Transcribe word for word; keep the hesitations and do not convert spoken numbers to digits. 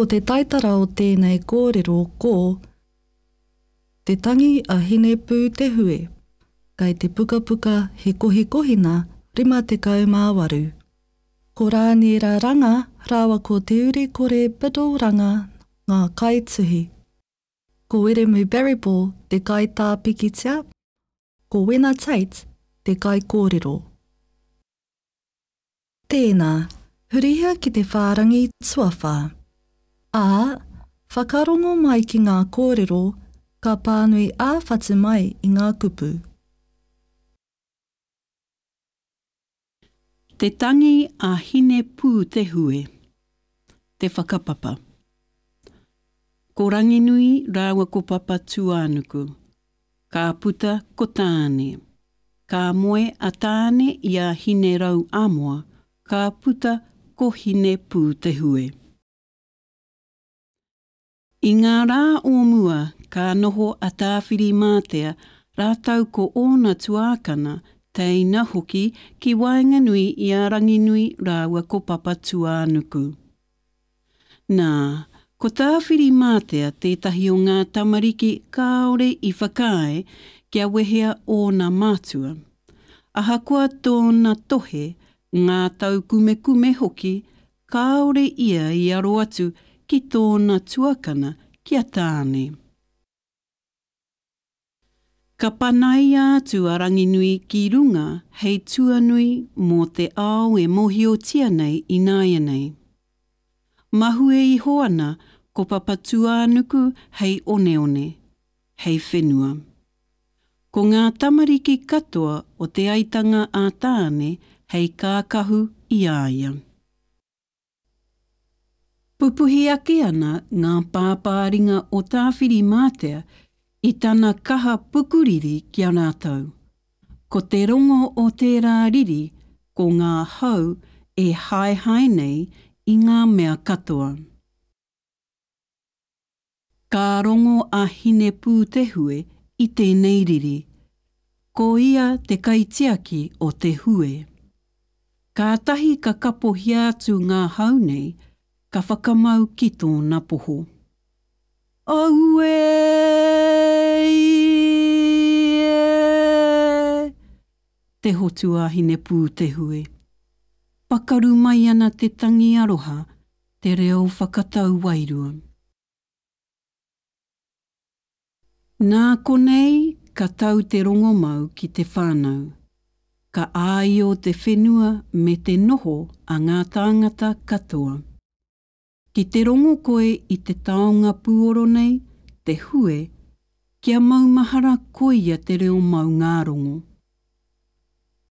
Ko te taitara o tēnei kōrero ko Te Tangi a Hinepūtehue, kei te pukapuka He Kohikohina rima tekau mā waru. Ko Rāniera Ranga rāua ko Te Urikore Biddle Ranga ngā kaituhi. Ko Wiremu Barryball te kaitā pikitia, ko Wena Tate te kaikōrero. Tēnā, hurihia ki te whārangi tuawhā. Ā, whakarongo mai ki ngā kōrero ka pānui ā-whatu mai i ngā kupu. Te tangi a Hinepūtehue. Te whakapapa. Ko Ranginui rāua ko Papatūānuku. Ka puta ko Tāne. Ka moe a Tāne i a Hinerau-amoa, ka puta ko Hinepūtehue. I ngā rā o mua ka noho a Tāwhirimātea rātou ko ōna tuākana, teina hoki ki waenganui i a Ranginui rāua ko Papatūānuku. Nā, ko Tāwhirimātea tētahi o ngā tamariki kāore i whakaae kia wehea ōna mātua. Ahakoa tōna tohe, ngā taukumekume hoki, kāore ia i aro atu ki tōna tuakana, ki a Tāne. Ka panaia atu a Ranginui ki runga hei tuanui mō te ao e mōhiotia nei ināianei. Mahue iho ana ko Papatūānuku hei oneone, hei whenua. Ko ngā tamariki katoa o Te Aitanga a Tāne hei kākahu i a ia. Pupuhi ake ana ngā pāpāringa o Tāwhirimātea i tana kaha pukuriri ki a rātou. Ko te rongo o tērā riri ko ngā hau e haehae nei i ngā mea katoa. Ka rongo a Hinepūtehue i tēnei riri. Ko ia te kaitiaki o te hue. Kātahi ka kapohia atu ngā hau nei, ka whakamau ki tōna poho. Auē! Te hotu a Hinepūtehue. Pakaru mai ana te tangi aroha, te reo whakatau wairua. Nā konei ka tau te rongomau ki te whānau, ka āio te whenua me te noho a ngā tāngata katoa. Ki te rongo koe i te taonga pūoro nei, te hue, kia maumahara koia te reo maungārongo.